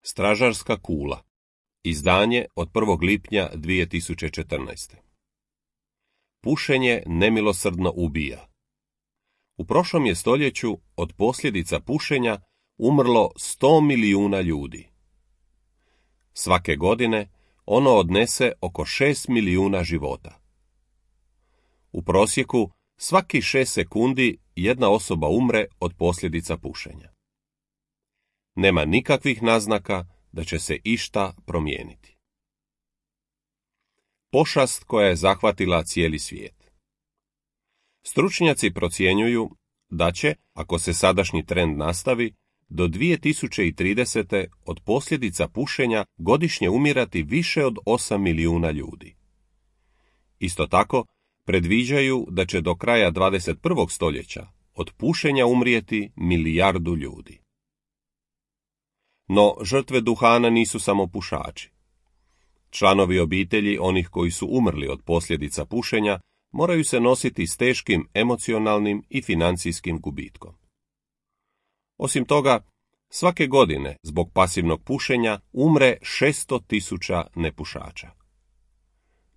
Stražarska kula. Izdanje od 1. lipnja 2014. Pušenje nemilosrdno ubija. U prošlom je stoljeću od posljedica pušenja umrlo 100 milijuna ljudi. Svake godine ono odnese oko 6 milijuna života. U prosjeku svaki 6 sekundi jedna osoba umre od posljedica pušenja. Nema nikakvih naznaka da će se išta promijeniti. Pošast koja je zahvatila cijeli svijet. Stručnjaci procjenjuju da će, ako se sadašnji trend nastavi, do 2030. od posljedica pušenja godišnje umirati više od 8 milijuna ljudi. Isto tako, predviđaju da će do kraja 21. stoljeća od pušenja umrijeti 1 milijardu ljudi. No, žrtve duhana nisu samo pušači. Članovi obitelji onih koji su umrli od posljedica pušenja moraju se nositi s teškim emocionalnim i financijskim gubitkom. Osim toga, svake godine zbog pasivnog pušenja umre 600.000 nepušača.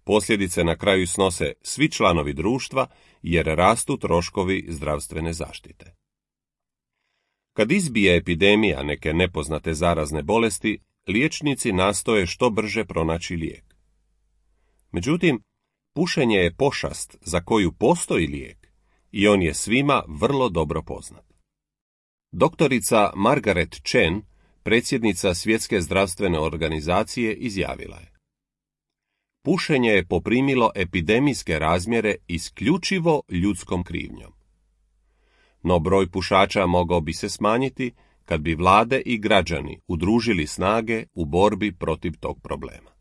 Posljedice na kraju snose svi članovi društva jer rastu troškovi zdravstvene zaštite. Kad izbije epidemija neke nepoznate zarazne bolesti, liječnici nastoje što brže pronaći lijek. Međutim, pušenje je pošast za koju postoji lijek i on je svima vrlo dobro poznat. Doktorica Margaret Chan, predsjednica Svjetske zdravstvene organizacije, izjavila je: pušenje je poprimilo epidemijske razmjere isključivo ljudskom krivnjom. No broj pušača mogao bi se smanjiti kad bi vlade i građani udružili snage u borbi protiv tog problema.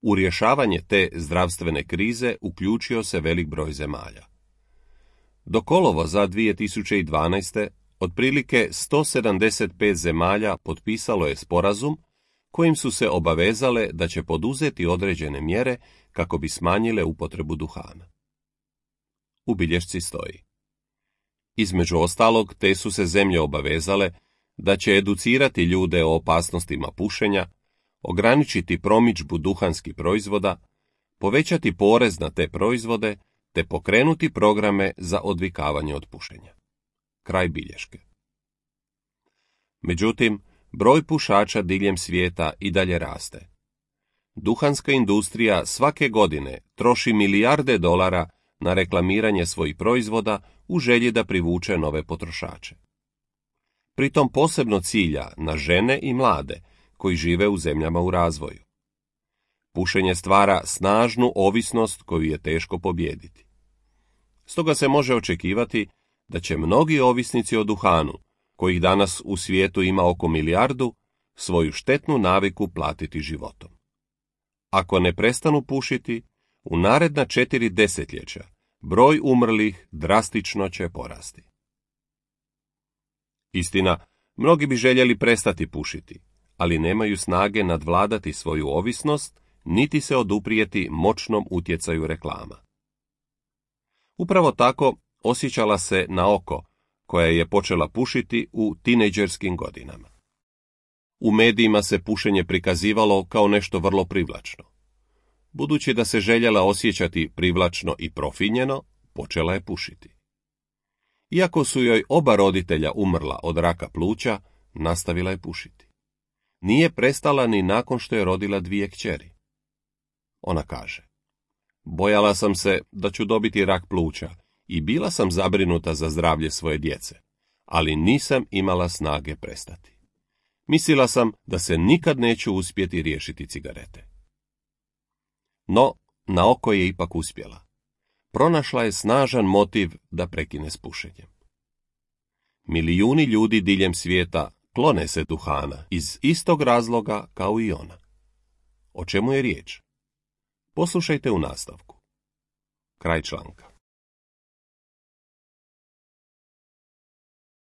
U rješavanje te zdravstvene krize uključio se velik broj zemalja. Do kolovoza 2012. otprilike 175 zemalja potpisalo je sporazum kojim su se obavezale da će poduzeti određene mjere kako bi smanjile upotrebu duhana. U bilješci stoji: između ostalog, te su se zemlje obavezale da će educirati ljude o opasnostima pušenja, ograničiti promidžbu duhanskih proizvoda, povećati porez na te proizvode, te pokrenuti programe za odvikavanje od pušenja. Kraj bilješke. Međutim, broj pušača diljem svijeta i dalje raste. Duhanska industrija svake godine troši milijarde dolara na reklamiranje svojih proizvoda u želji da privuče nove potrošače. Pritom posebno cilja na žene i mlade koji žive u zemljama u razvoju. Pušenje stvara snažnu ovisnost koju je teško pobijediti. Stoga se može očekivati da će mnogi ovisnici o duhanu, kojih danas u svijetu ima oko 1 milijardu, svoju štetnu naviku platiti životom. Ako ne prestanu pušiti, u naredna 4 desetljeća broj umrlih drastično će porasti. Istina, mnogi bi željeli prestati pušiti, ali nemaju snage nadvladati svoju ovisnost, niti se oduprijeti moćnom utjecaju reklama. Upravo tako osjećala se Naoko, koja je počela pušiti u tinejdžerskim godinama. U medijima se pušenje prikazivalo kao nešto vrlo privlačno. Budući da se željela osjećati privlačno i profinjeno, počela je pušiti. Iako su joj oba roditelja umrla od raka pluća, nastavila je pušiti. Nije prestala ni nakon što je rodila 2 kćeri. Ona kaže: bojala sam se da ću dobiti rak pluća i bila sam zabrinuta za zdravlje svoje djece, ali nisam imala snage prestati. Mislila sam da se nikad neću uspjeti riješiti cigarete. No, Naoko je ipak uspjela. Pronašla je snažan motiv da prekine s pušenjem. Milijuni ljudi diljem svijeta klone se duhana iz istog razloga kao i ona. O čemu je riječ? Poslušajte u nastavku. Kraj članka.